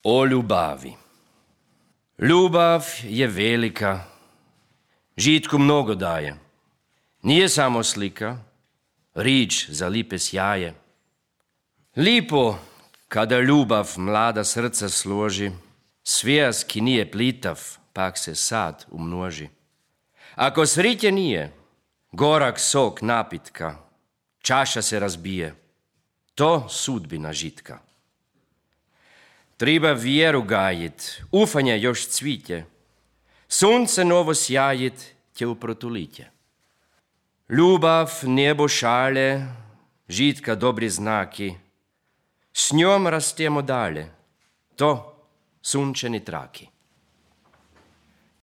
O ljubavi. Ljubav je velika, žitku mnogo daje. Nije samo slika, rič za lipe sjaje. Lipo, kada ljubav mlada srca složi, svijest ki nije plitav, pak se sad umnoži. Ako sritje nije, gorak sok napitka, čaša se razbije, to sudbina žitka. Treba vjeru gajit, ufanje još cvitje, sunce novo sjajit tje u protulitje. Ljubav nebo šale, žitka dobri znaki, s njom rastemo dalje, to sunčeni traki.